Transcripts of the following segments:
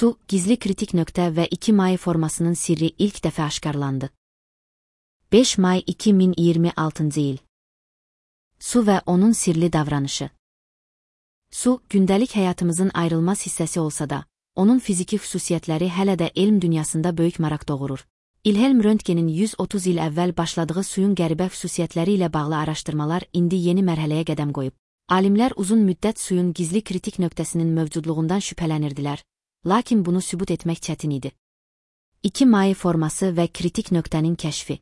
Su, gizli kritik nöqtə və 2 may formasının sirri ilk dəfə aşkarlandı. 5 may 2026 il. Su və onun sirli davranışı. Su, gündəlik həyatımızın ayrılmaz hissəsi olsa da, onun fiziki xüsusiyyətləri hələ də elm dünyasında böyük maraq doğurur. İlhelm Röntgenin 130 il əvvəl başladığı suyun qəribə xüsusiyyətləri ilə bağlı araşdırmalar indi yeni mərhələyə qədəm qoyub. Alimlər uzun müddət suyun gizli kritik nöqtəsinin mövcudluğundan şübhələnirdilər, lakin bunu sübut etmək çətin idi. 2 may forması və kritik nöqtənin kəşfi.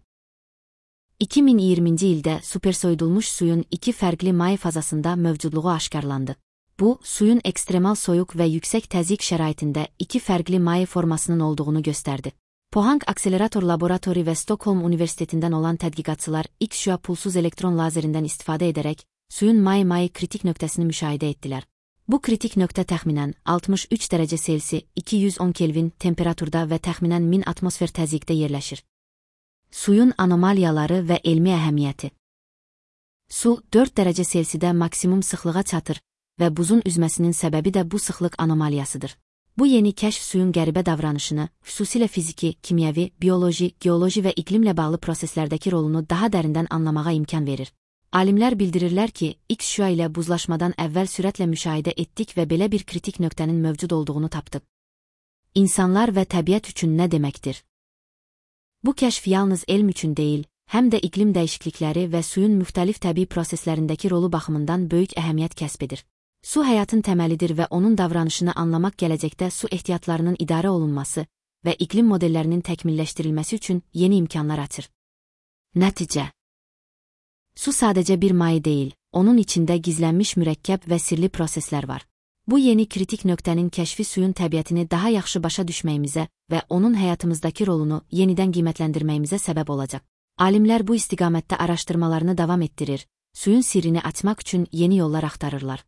2020-ci ildə supersoyudulmuş suyun 2 fərqli may fazasında mövcudluğu aşkarlandı. Bu, suyun ekstremal soyuq və yüksək təzyiq şəraitində 2 fərqli may formasının olduğunu göstərdi. Pohang Akselerator Laboratori və Stockholm Universitetindən olan tədqiqatçılar X-şüa pulsuz elektron lazerindən istifadə edərək suyun may kritik nöqtəsini müşahidə etdilər. Bu kritik nöqtə təxminən 63 dərəcə Selsi 210 Kelvin temperaturda və təxminən 1000 atmosfer təzyiqdə yerləşir. Suyun anomaliyaları və elmi əhəmiyyəti. Su 4 dərəcə Selsidə maksimum sıxlığa çatır və buzun üzməsinin səbəbi də bu sıxlıq anomaliyasıdır. Bu yeni kəşf suyun qəribə davranışını, xüsusilə fiziki, kimyəvi, bioloji, geoloji və iqlimlə bağlı proseslərdəki rolunu daha dərindən anlamağa imkan verir. Alimlər bildirirlər ki, X-şüa ilə buzlaşmadan əvvəl sürətlə müşahidə etdik və belə bir kritik nöqtənin mövcud olduğunu tapdıq. İnsanlar və təbiət üçün nə deməkdir? Bu kəşf yalnız elm üçün deyil, həm də iqlim dəyişiklikləri və suyun müxtəlif təbii proseslərindəki rolu baxımından böyük əhəmiyyət kəsb edir. Su həyatın təməlidir və onun davranışını anlamaq gələcəkdə su ehtiyatlarının idarə olunması və iqlim modellərinin təkmilləşdirilməsi üçün yeni imkanlar açır. Nəticə. Su sadəcə bir may deyil, onun içində gizlənmiş mürəkkəb və sirli proseslər var. Bu yeni kritik nöqtənin kəşfi suyun təbiətini daha yaxşı başa düşməyimizə və onun həyatımızdakı rolunu yenidən qiymətləndirməyimizə səbəb olacaq. Alimlər bu istiqamətdə araşdırmalarını davam etdirir, suyun sirrini açmaq üçün yeni yollar axtarırlar.